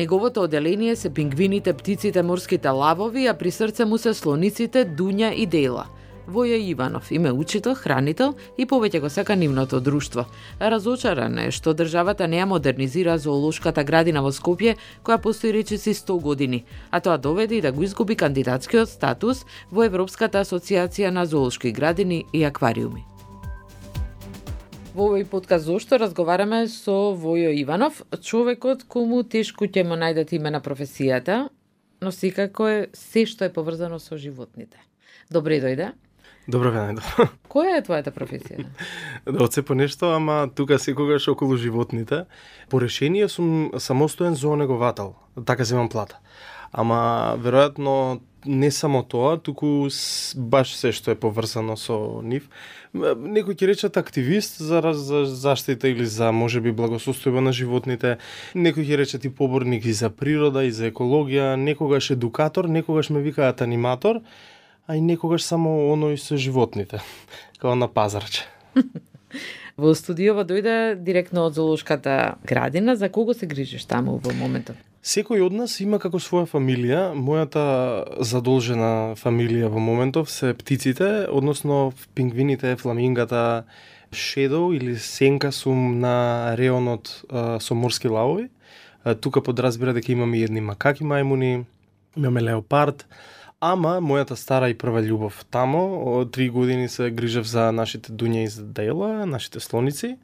неговото оделение се пингвините, птиците, морските лавови, а при срце му се слониците Дуња и Дела. Воја Иванов име учител, хранител и повеќе го сака нивното друштво. Разочаран е што државата не ја модернизира зоолошката градина во Скопје, која постои речиси 100 години, а тоа доведе и да го изгуби кандидатскиот статус во Европската асоциација на зоолошки градини и аквариуми. Во овој подкаст зошто разговараме со Војо Иванов, човекот кому тешко ќе му најдат име на професијата, но секако е се што е поврзано со животните. Добре дојде. Добро ве најдов. Која е твојата професија? Да одсепо нешто, ама тука секогаш околу животните. По решение сум самостоен зоонеговател, така земам плата. Ама веројатно не само тоа, туку баш се што е поврзано со нив. Некој ќе речат активист за заштита или за можеби благосостојба на животните, некој ќе речат и поборник и за природа и за екологија, некогаш едукатор, некогаш ме викаат аниматор, а и некогаш само оној со животните, као на пазарче. Во студиово дојде директно од зоолошката градина. За кого се грижиш таму во моментот? Секој од нас има како своја фамилија. Мојата задолжена фамилија во моментов се птиците, односно пингвините, фламингата, шедо или сенка сум на реонот со морски лавови. Тука подразбира дека имаме и едни макаки мајмуни, имаме леопард. Ама мојата стара и прва љубов тамо, од 3 години се грижев за нашите Дуња и за Дела, нашите слоници.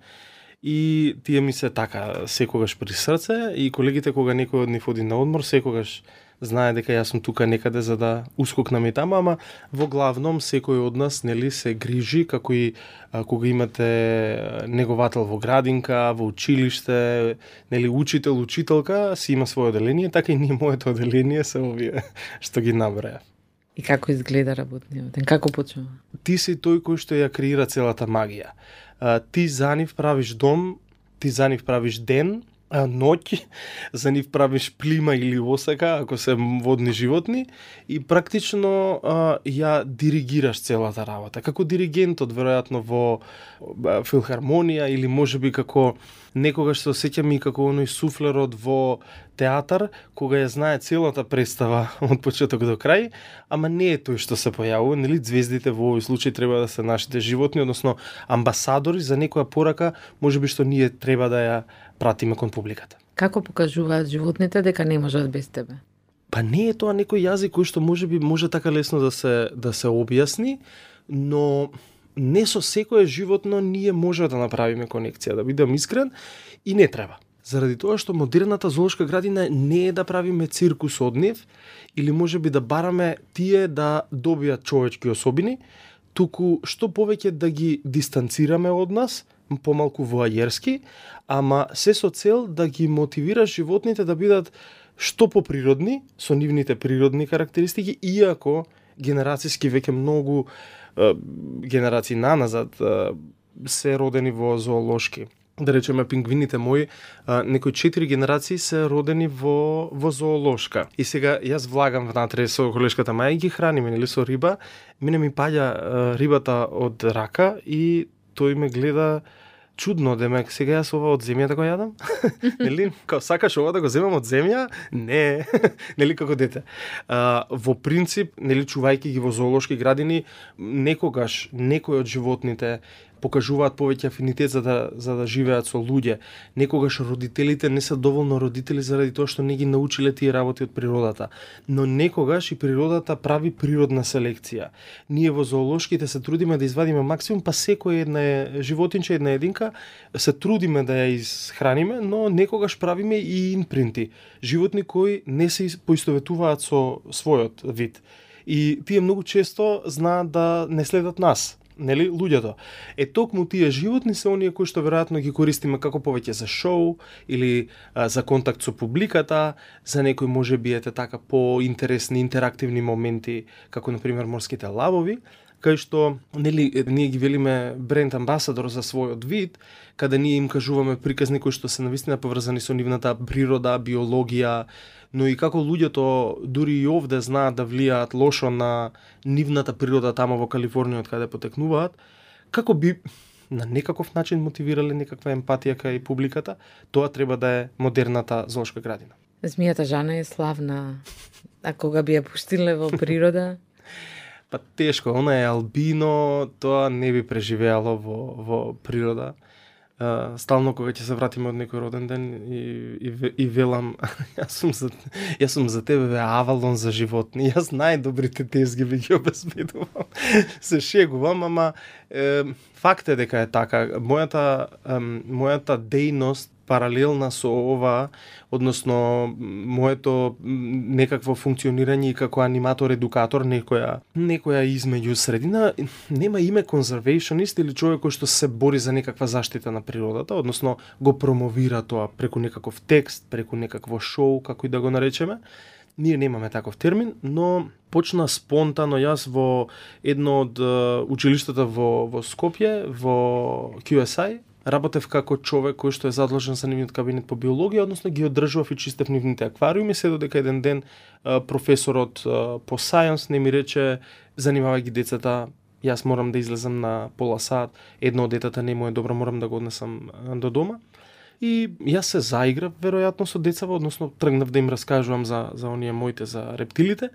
И тие ми се така секогаш при срце и колегите кога некој од нив оди на одмор, секогаш знае дека јас сум тука некаде за да ускокнам и тама, ама во главном секој од нас нели се грижи како и кога имате неговател во градинка, во училиште, нели учител, учителка, си има свое оделение, така и ние моето оделение се овие што ги наброја. И како изгледа работниот ден? Како почнува? Ти си тој кој што ја креира целата магија. Ти за нив правиш дом, ти за нив правиш ден, ноќ, за нив правиш плима или осака, ако се водни животни, и практично ја диригираш целата работа. Како диригентот, веројатно, во филхармонија, или можеби како некогаш се осеќам и како оној суфлерот во театар, кога ја знае целата представа од почеток до крај, ама не е тој што се појавува, нели звездите во овој случај треба да се нашите животни, односно амбасадори за некоја порака, можеби што ние треба да ја пратиме кон публиката. Како покажуваат животните дека не можат без тебе? Па не е тоа некој јазик кој што можеби може така лесно да се објасни, но не со секое животно ние може да направиме конекција, да бидам искрен, и не треба. Заради тоа што модерната зоолошка градина не е да правиме циркус од нив, или можеби да бараме тие да добијат човечки особини, туку што повеќе да ги дистанцираме од нас, помалку воајерски, ама се со цел да ги мотивира животните да бидат што поприродни, со нивните природни карактеристики, иако генерацијски веќе многу генерации наназад се родени во зоолошки. Да речеме, пингвините мои, некои 4 генерации се родени во зоолошка. И сега јас влагам внатре со колешката маја и ги храниме, нели, со риба. Мене ми паѓа рибата од рака и тој ме гледа чудно, демек, сега јас ова од земјата го јадам? Нели, као сакаш ова да го земам од земја? Не, нели, како дете. Во принцип, нели, чувајќи ги во зоолошки градини, некогаш некој од животните покажуваат повеќе афинитет за да живеат со луѓе. Некогаш родителите не се доволно родители заради тоа што не ги научиле тие работи од природата. Но некогаш и природата прави природна селекција. Ние во зоолошките се трудиме да извадиме максимум, па секој една животинче, една единка, се трудиме да ја изхраниме, но некогаш правиме и импринти. Животни кои не се поистоветуваат со својот вид. И тие многу често знаат да не следат нас. Нели, луѓето. Токму тие животни се оние кои што веројатно ги користиме како повеќе за шоу или за контакт со публиката, за некои можеби така поинтересни интерактивни моменти, како на пример морските лавови, кај што нели ние ги велиме бренд амбасадор за својот вид, каде ние им кажуваме приказни кои што се навистина поврзани со нивната природа, биологија, но и како луѓето дури и овде знаат да влијаат лошо на нивната природа тамо во Калифорнија од каде потекнуваат, како би на некаков начин мотивирале некаква емпатија кај публиката, тоа треба да е модерната зоолошка градина. Змијата Жана е славна, а кога би ја пуштиле во природа? Па тешко, она е албино, тоа не би преживеало во природа. Стално кога ќе се вратиме од некој роден ден и велам јас сум за тебе Авалон за животни. Јас најдобрите тезги би ги обезбедувам. Се шегувам, ама факт е дека е така. Мојата дејност паралелна со ова, односно моето некакво функционирање и како аниматор, едукатор, некоја измеѓу средина, нема име конзервационист или човек кој што се бори за некаква заштита на природата, односно го промовира тоа преку некаков текст, преку некакво шоу, како и да го наречеме. Ние немаме таков термин, но почна спонтано јас во едно од училиштата во Скопје, во QSI, работев како човек кој што е задолжен за нивниот кабинет по биологија, односно ги одржував и чистев нивните аквариуми, се додека еден ден професорот по science не ми рече: занимавај ги децата, јас морам да излезам на пола сат, едно од детата не му е добро, морам да го однесам до дома. И јас се заиграв веројатно со децава, односно тргнав да им раскажувам за оние моите, за рептилите.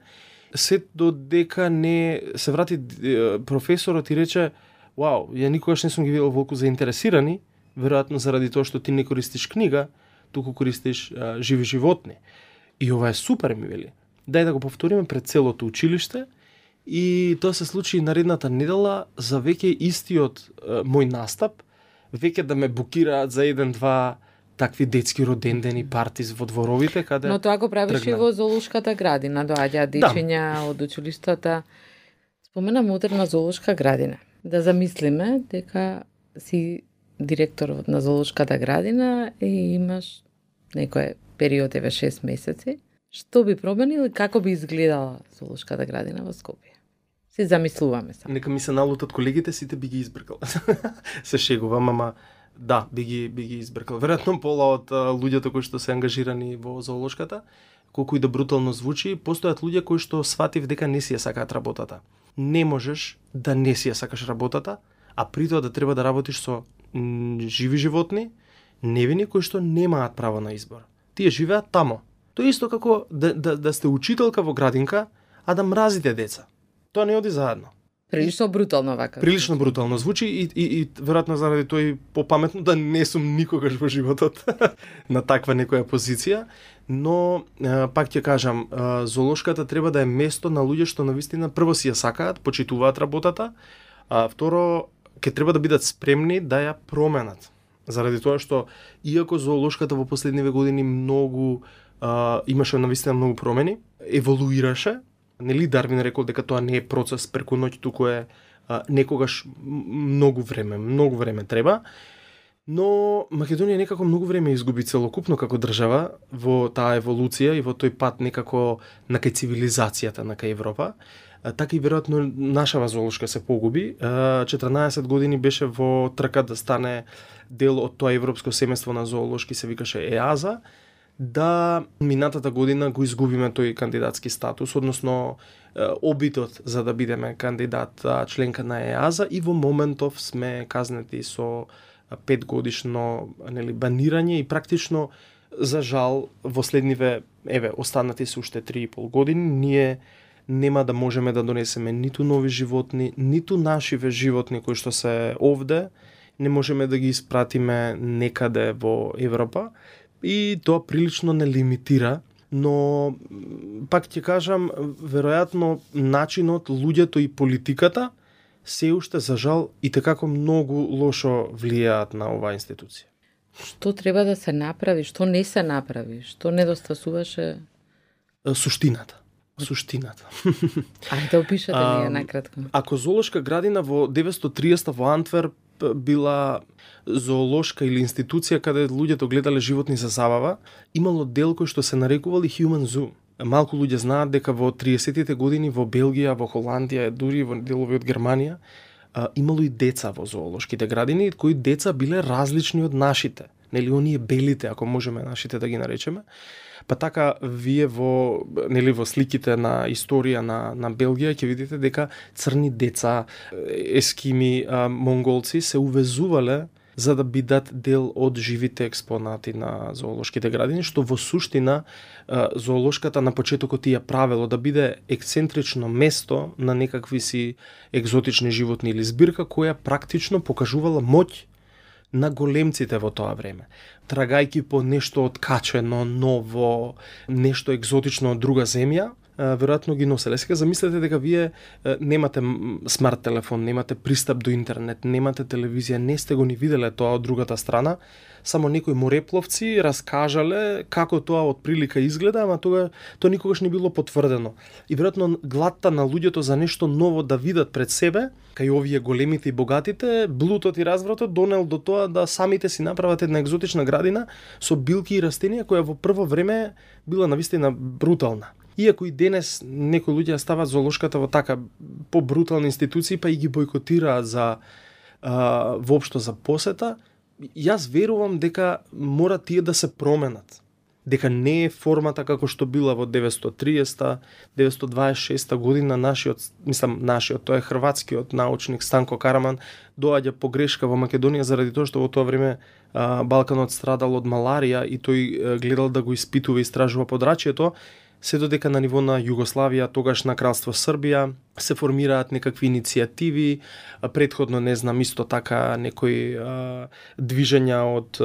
Се додека не се врати професорот и рече: вау, ја никогаш не сум ги видел волку заинтересирани, веројатно заради тоа што ти не користиш книга, туку користиш живи животни. И ова е супер, ми вели. Дај да го повториме пред целото училиште. И тоа се случи наредната недела за веќе истиот мој настап, веќе да ме букираат за 1-2 такви детски родендени партиз во дворовите, каде... Но тоа го правиш и во зоолошката градина, доаѓаат дечиња од училиштата. Спомена модерна зоолошка градина. Да замислиме дека си директор на зоолошката градина и имаш некој период, 6 месеци. Што би променил и како би изгледала зоолошката градина во Скопје? Си замислуваме се. Нека ми се налутат колегите, сите би ги избркал. Се шегувам, ама да, би ги избркал. Веројатно пола од луѓето кои што се ангажирани во зоолошката, колку и да брутално звучи, постојат луѓе кои што сватив дека не си ја сакаат работата. Не можеш да не си ја сакаш работата, а при тоа да треба да работиш со живи животни, невини кои што немаат право на избор. Тие живеат тамо. Тоа е исто како да сте учителка во градинка, а да мразите деца. Тоа не оди заедно. Прилично брутално вака. Прилично брутално звучи и веројатно заради тоа и попаметно да не сум никогаш во животот на таква некоја позиција, но пак ќе кажам, зоолошката треба да е место на луѓе што навистина прво си ја сакаат, почитуваат работата, а второ ќе треба да бидат спремни да ја променат. Заради тоа што иако зоолошката во последниве години многу имаше навистина многу промени, еволуираше. Нели Дарвин рекол дека тоа не е процес преку ноќ, туку е некогаш многу време треба. Но Македонија некако многу време изгуби целокупно како држава во таа еволуција и во тој пат некако на кај цивилизацијата на кај Европа. Така и веројатно нашава зоолошка се погуби. 14 години беше во трка да стане дел од тоа европско семејство на зоолошки, се викаше ЕАЗа. Да минатата година го изгубиме тој кандидатски статус, односно обитот за да бидеме кандидат членка на ЕАЗа, и во моментов сме казнети со 5 годишно банирање и практично, за жал, во следниве, останати се уште 3,5 години, ние нема да можеме да донесеме ниту нови животни, ниту нашиве животни кои што се овде, не можеме да ги испратиме некаде во Европа. И тоа прилично не лимитира, но пак ќе кажам, веројатно начинот, луѓето и политиката се уште за жал и tekako многу лошо влијаат на оваа институција. Што треба да се направи, што не се направи, што недостасуваше? Суштината. Ајде опишете ми ја накратко. Ако зоолошка градина во 930 во Антверп била зоолошка или институција каде луѓето гледале животни за забава, имало дел кој што се нарекувал и Human Zoo. Малку луѓе знаат дека во 30-тите години во Белгија, во Холандија, дури во делови од Германија, имало и деца во зоолошките градини, кои деца биле различни од нашите. Нели оние белите, ако можеме нашите да ги наречеме. Па така вие во сликите на историја на Белгија ќе видите дека црни деца, ескими, монголци се увезувале за да бидат дел од живите експонати на зоолошките градини, што во суштина зоолошката на почетокот ја правело да биде ексцентрично место на некакви си екзотични животни или збирка која практично покажувала моќ на големците во тоа време. Трагајки по нешто откачено, ново, нешто екзотично од друга земја, веројатно ги носеле. Сега замислете дека вие немате смарт телефон, немате пристап до интернет, немате телевизија, не сте го ни виделе тоа од другата страна, само некои морепловци раскажале како тоа од прилика изгледа, ама тоа никогаш не било потврдено. И веројатно гладта на луѓето за нешто ново да видат пред себе, кај овие големите и богатите, блудот и развратот донел до тоа да самите си направат една екзотична градина со билки и растенија која во прво време била навистина брутална. Иако и денес некои луѓе стават зоолошката во така побрутални институции, па и ги бойкотираат за воопшто за посета, јас верувам дека мора тие да се променат. Дека не е формата како што била во 930-926 година нашиот, тоа е хрватскиот научник Станко Караман, доаѓа по грешка во Македонија заради тоа што во тоа време Балканот страдал од маларија и тој гледал да го испитува и истражува подрачјето, се додека на ниво на Југославија, тогаш на Кралство Србија, се формираат некакви иницијативи, претходно не знам исто така некои движења од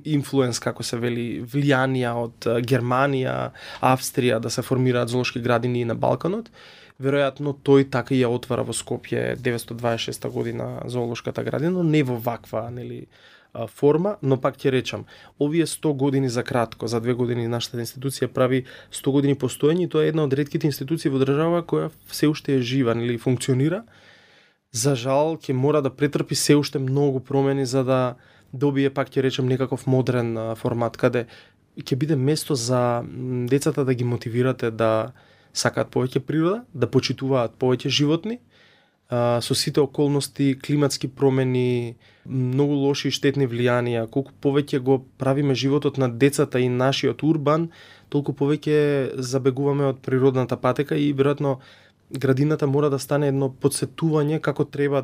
инфлуенс, како се вели, влијанија од Германија, Австрија да се формираат зоолошки градини на Балканот. Веројатно тој така ја отвара во Скопје 926 година зоолошката градина, но не во ваква, форма, но пак ќе речам, овие 100 години за кратко, за 2 години нашата институција прави 100 години постоење и тоа е една од ретките институции во држава која се уште е жива или функционира. За жал ќе мора да претрпи се уште многу промени за да добие, пак ќе речем, некаков модерен формат каде ќе биде место за децата да ги мотивирате да сакаат повеќе природа, да почитуваат повеќе животни, со сите околности, климатски промени, многу лоши и штетни влијанија, колку повеќе го правиме животот на децата и нашиот урбан, толку повеќе забегуваме од природната патека и веројатно градината мора да стане едно подсетување како треба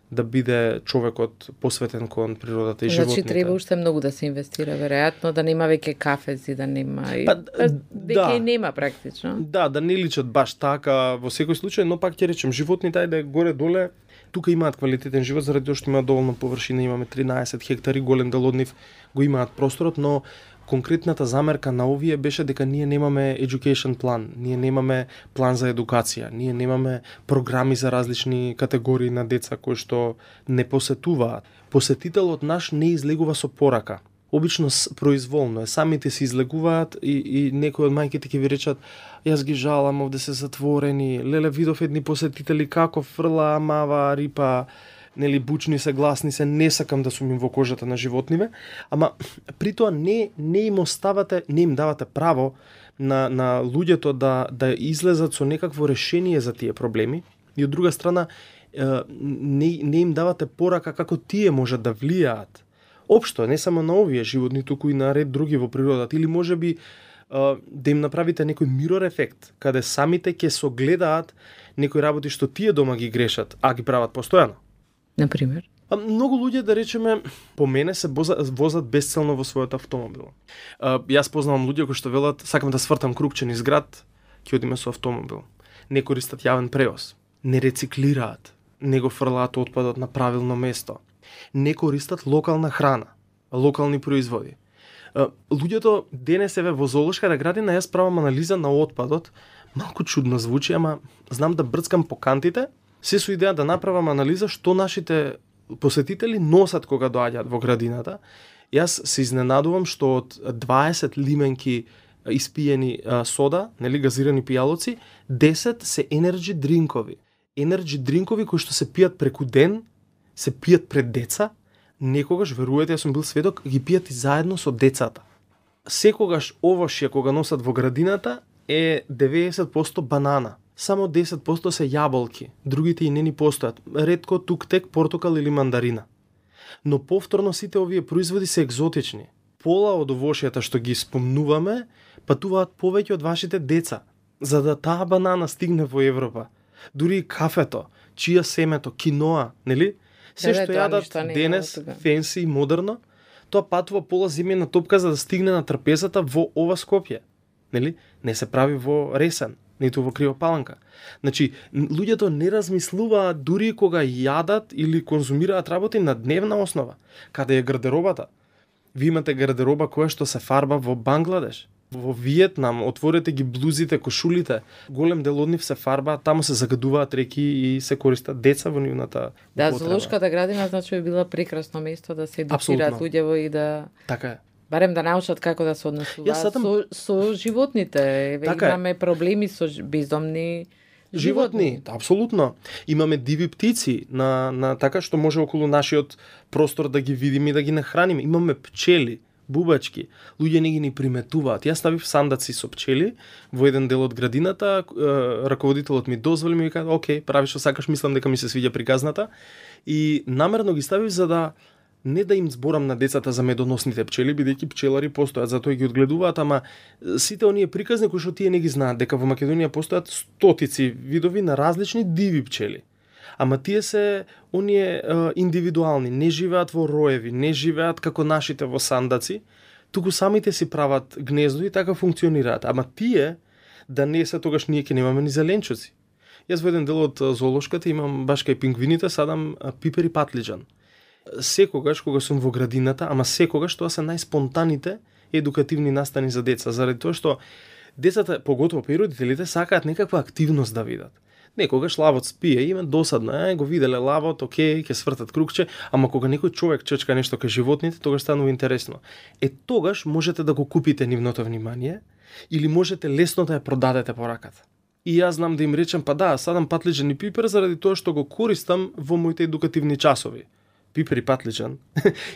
да биде човекот посветен кон природата и животните. Значи треба уште многу да се инвестира, веројатно, да нема веќе кафези, да нема веќе нема практично. Да не личат баш така во секој случај, но пак ќе речем животните ајде горе-доле тука имаат квалитетен живот заради тоа што имаат доволно површина, имаме 13 хектари, голем дел од нив го имаат просторот, но конкретната замерка на овие беше дека ние немаме education план, ние немаме план за едукација, ние немаме програми за различни категории на деца кои што не посетуваат. Посетителот наш не излегува со порака. Обично произволно е, самите се излегуваат и некои од мајките ќе ви речат јас ги жалам, овде се затворени, леле видов едни посетители како фрла, мава, рипа, бучни се, гласни се, не сакам да сум им во кожата на животниве, ама при тоа не им оставате, не им давате право на луѓето да излезат со некакво решение за тие проблеми и од друга страна не им давате порака како тие можат да влијаат. Општо, не само на овие животни, туку и на ред други во природата, или можеби да им направите некој мирор ефект, каде самите ќе согледаат некои работи што тие дома ги грешат, а ги прават постојано. Например? Многу луѓе, да речеме, по мене се возат безцелно во својот автомобил. Јас познавам луѓе кои што велат, сакам да свртам крупче низ град, ќе одиме со автомобил. Не користат јавен превоз, не рециклираат, не го фрлаат отпадот на правилно место, не користат локална храна, локални производи. Луѓето денес еве во зоолошката градина јас правам анализа на отпадот, малку чудно звучи, ама знам да брцкам по кантите, се со идеја да направам анализа што нашите посетители носат кога доаѓаат во градината. Јас се изненадувам што од 20 лименки испиени сода, газирани пијалоци, 10 се енерджи дринкови. Енерджи дринкови кои што се пијат преку ден, се пијат пред деца, некогаш, веруете, јас сум бил сведок, ги пијат и заедно со децата. Секогаш овошје кога носат во градината е 90% банана. Само 10% се јаболки, другите и не ни постојат. Ретко туктек, портокал или мандарина. Но повторно сите овие производи се екзотични. Пола од овошјата што ги спомнуваме, патуваат повеќе од вашите деца, за да таа банана стигне во Европа. Дури и кафето, чија семето, киноа, нели? Се што јадат денес, фенси и модерно, тоа патува пола земјена топка за да стигне на трпезата во ова Скопје. Нели? Не се прави во Ресен, ниту во Кривопаланка. Значи, луѓето не размислуваат дури кога јадат или конзумираат работи на дневна основа. Каде е гардеробата? Ви имате гардероба која што се фарба во Бангладеш, во Виетнам, отворете ги блузите, кошулите, голем дел од нив се фарба, таму се загадуваат реки и се користат деца во нивната употреба. Да, зоолошката градина значи би била прекрасно место да се едукираат луѓето и да така е. Барем да научат како да се однесуваат со животните. Така имаме проблеми со бездомни животни. Апсолутно. Имаме диви птици на така што може околу нашиот простор да ги видиме и да ги нахраниме. Имаме пчели, бубачки. Луѓе не ги ни приметуваат. Јас ставив сандаци со пчели во еден дел од градината, раководителот ми дозволи, ми кажа: "Океј, прави што сакаш, мислам дека ми се свиѓа приказната." И намерно ги ставив за да не да им зборам на децата за медоносните пчели, бидејќи пчелари постојат, затоа ги одгледуваат, ама сите оние приказни кои што тие не ги знаат, дека во Македонија постојат стотици видови на различни диви пчели. Ама тие се оние индивидуални, не живеат во роеви, не живеат како нашите во сандаци, туку самите си прават гнездо и така функционираат. Ама тие да не се, тогаш ние ќе немаме ни зеленчуци. Јас во еден дел од зоолошката имам баш кај пингвините садам пипер и патлиџан. Секогаш кога сум во градината, ама секогаш тоа се најспонтаните едукативни настани за деца, заради тоа што децата, поготово па и родителите, сакаат некаква активност да видат. Некогаш лавот спие, има досадно, го виделе лавот, окей, ќе свртат кругче, ама кога некој човек чечка нешто кај животните, тогаш станува интересно. Тогаш можете да го купите нивното внимание или можете лесно да ја продадете по раката. И јас знам да им речем, па да, садам патлиџан и пипер заради тоа што го користам во моите едукативни часови. Пипер и патлиџан.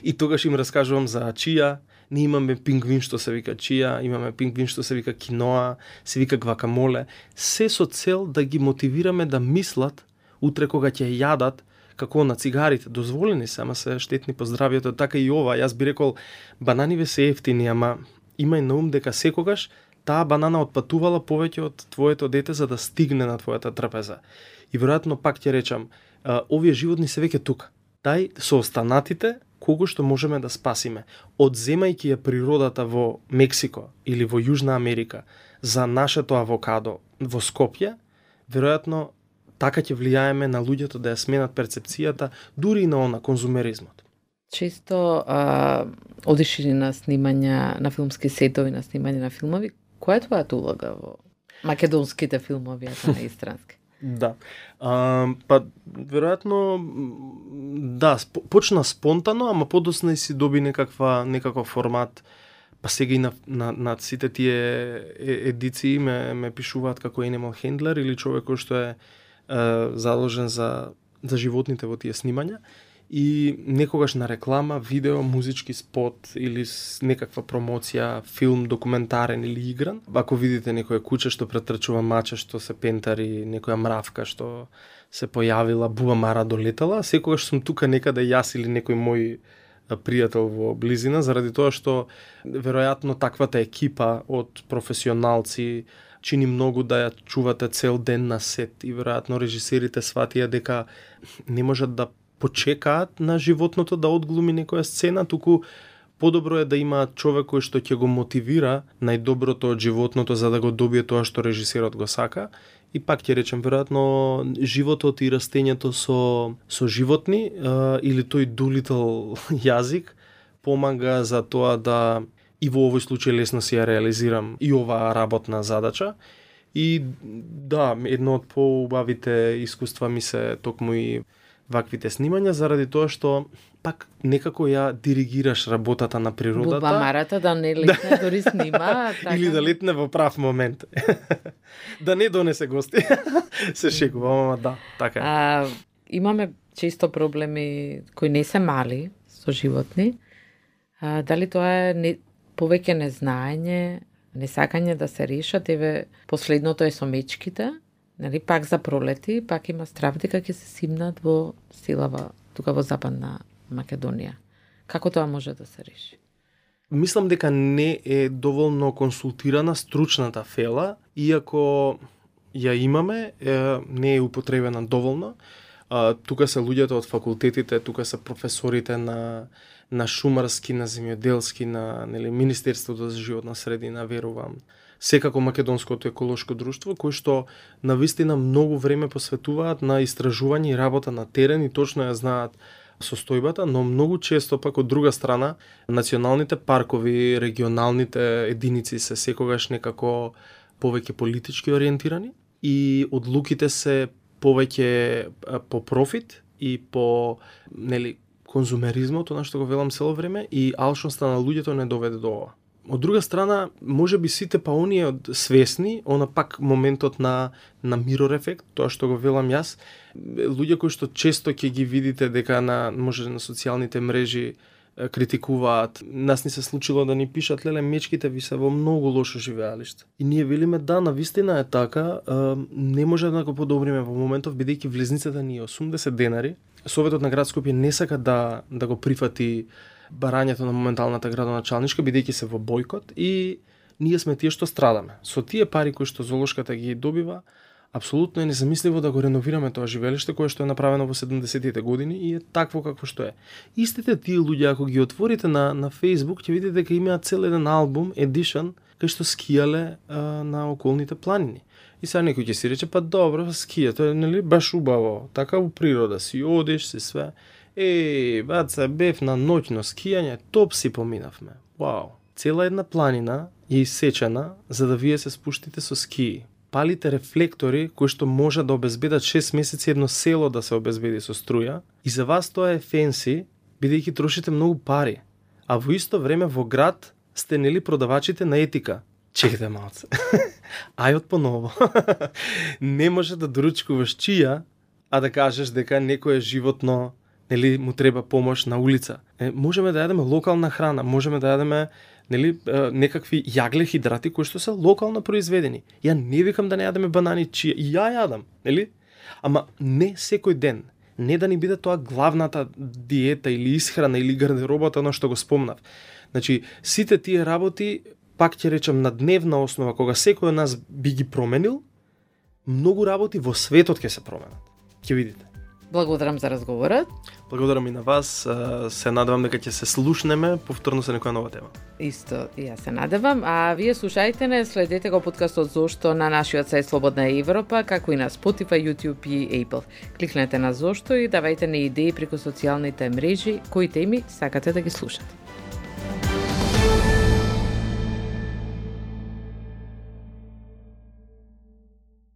И тогаш им раскажувам за чија. Ние имаме пингвин што се вика чија, имаме пингвин што се вика киноа, се вика гвакамоле. Се со цел да ги мотивираме да мислат утре кога ќе јадат, како на цигарите, дозволени се, ама се штетни по здравјето, така и ова. Јас би рекол, бананиве се ефтини, ама имај на ум дека секогаш таа банана отпатувала повеќе од твоето дете за да стигне на твојата трпеза. И веројатно пак ќе речам, овие животни се веќе тука. Тај со останатите кого што можеме да спасиме, одземајќи ја природата во Мексико или во Јужна Америка за нашето авокадо во Скопје, веројатно така ќе влијаеме на луѓето да ја сменат перцепцијата дури и на конзумеризмот. Често одиш на снимања на филмски сетови, на снимање на филмови. Која е твојата улога во македонските филмови, а не истрански? Да. Па веројатно да, почна спонтано, ама подосна и си доби некаков формат. Па сега и на сите тие едиции ме пишуваат како animal handler или човек кој што е заложен за животните во тие снимања. И некогаш на реклама, видео, музички спот или некаква промоција, филм, документарен или игран. Ако видите некоја куче што претрчува мача, што се пентари, некоја мравка што се појавила, буа мара долетала, секогаш сум тука некаде јас или некој мој пријател во близина, заради тоа што веројатно таквата екипа од професионалци чини многу да ја чувате цел ден на сет и веројатно режисерите сватија дека не можат да почекаат на животното да одглуми некоја сцена, туку подобро е да има човек кој што ќе го мотивира најдоброто од животното за да го добие тоа што режисерот го сака. И пак ќе речем, веројатно животот и растењето со животни или тој Doolittle јазик помага за тоа да и во овој случај лесно си ја реализирам и оваа работна задача. И да, едно од поубавите искуства ми се токму и ваквите снимања, заради тоа што пак некако ја диригираш работата на природата. Бубамарата да не летне, дори снима. Така. Или да летне во прав момент. Да не донесе гости. Се шегувам, ама да, така. Имаме често проблеми кои не се мали со животни. Дали тоа е повеќе незнаење, несакање да се решат, еве последното е со мечките. Нали, пак за пролети, пак има страв дека ќе се симнат во силава тука во Западна Македонија. Како тоа може да се реши? Мислам дека не е доволно консултирана стручната фела, иако ја имаме, не е употребена доволно. тука се луѓето од факултетите, тука се професорите на шумарски, на земјоделски, на Министерството за животна средина, верувам. Секако Македонското еколошко друштво, кои што навистина многу време посветуваат на истражување и работа на терен и точно ја знаат состојбата, но многу често пак од друга страна националните паркови, регионалните единици се секогаш некако повеќе политички ориентирани и одлуките се повеќе по профит и по конзумеризмот, на што го велам цело време, и алчноста на луѓето не доведе до ова. Од друга страна, може би сите па оние свесни, она пак моментот на мирор ефект, тоа што го велам јас, луѓе кои што често ќе ги видите дека може на социјалните мрежи критикуваат. Нас ни се случило да ни пишат, леле, мечките ви се во многу лошо живеалиште. И ние велиме, да, навистина е така, не може да го подобриме во моментов, бидејќи влезницата ни е 80 денари. Советот на град Скопје не сака да го прифати барањето на моменталната градоначалничка, бидејќи се во бојкот, и ние сме тие што страдаме. Со тие пари кои што зоолошката ги добива, апсолутно е незамисливо да го реновираме тоа живеелиште кое што е направено во 70-тите години и е такво какво што е. Истите тие луѓе, ако ги отворите на Facebook, ќе видите дека имаат цел еден албум, edition, кај што скијале на околните планини. И сега некој ќе си рече, па добро, скија, тоа е баш убаво, така во природа, си одиш, си све. Баца, бев на ноќно скијање, топ си поминавме. Вау. Цела една планина е исечена за да вие се спуштите со скии. Палите рефлектори кои што може да обезбедат 6 месеци едно село да се обезбеди со струја, и за вас тоа е фенси, бидејќи трошите многу пари. А во исто време во град сте продавачите на етика. Чекайте малце. Ајот поново. Не може да доручкуваш чија, а да кажеш дека некое животно му треба помош на улица. Можеме да јадеме локална храна, можеме да јадеме некакви јагле хидрати кои што се локално произведени. Ја не викам да не јадеме банани, чија и ја јадам, Ама не секој ден. Не да ни биде тоа главната диета или исхрана или гардеробата на што го спомнав. Значи, сите тие работи, пак ќе речам, на дневна основа, кога секој од нас би ги променил, многу работи во светот ќе се променат. Ќе видите. Благодарам за разговорот. Благодарам и на вас. Се надевам дека ќе се слушнеме повторно со некоја нова тема. Исто, и јас се надевам. А вие слушајте не, следете го подкастот Зошто на нашиот сајт Слободна Европа, како и на Spotify, YouTube и Apple. Кликнете на Зошто и давајте ни идеи преку социјалните мрежи кои теми сакате да ги слушате.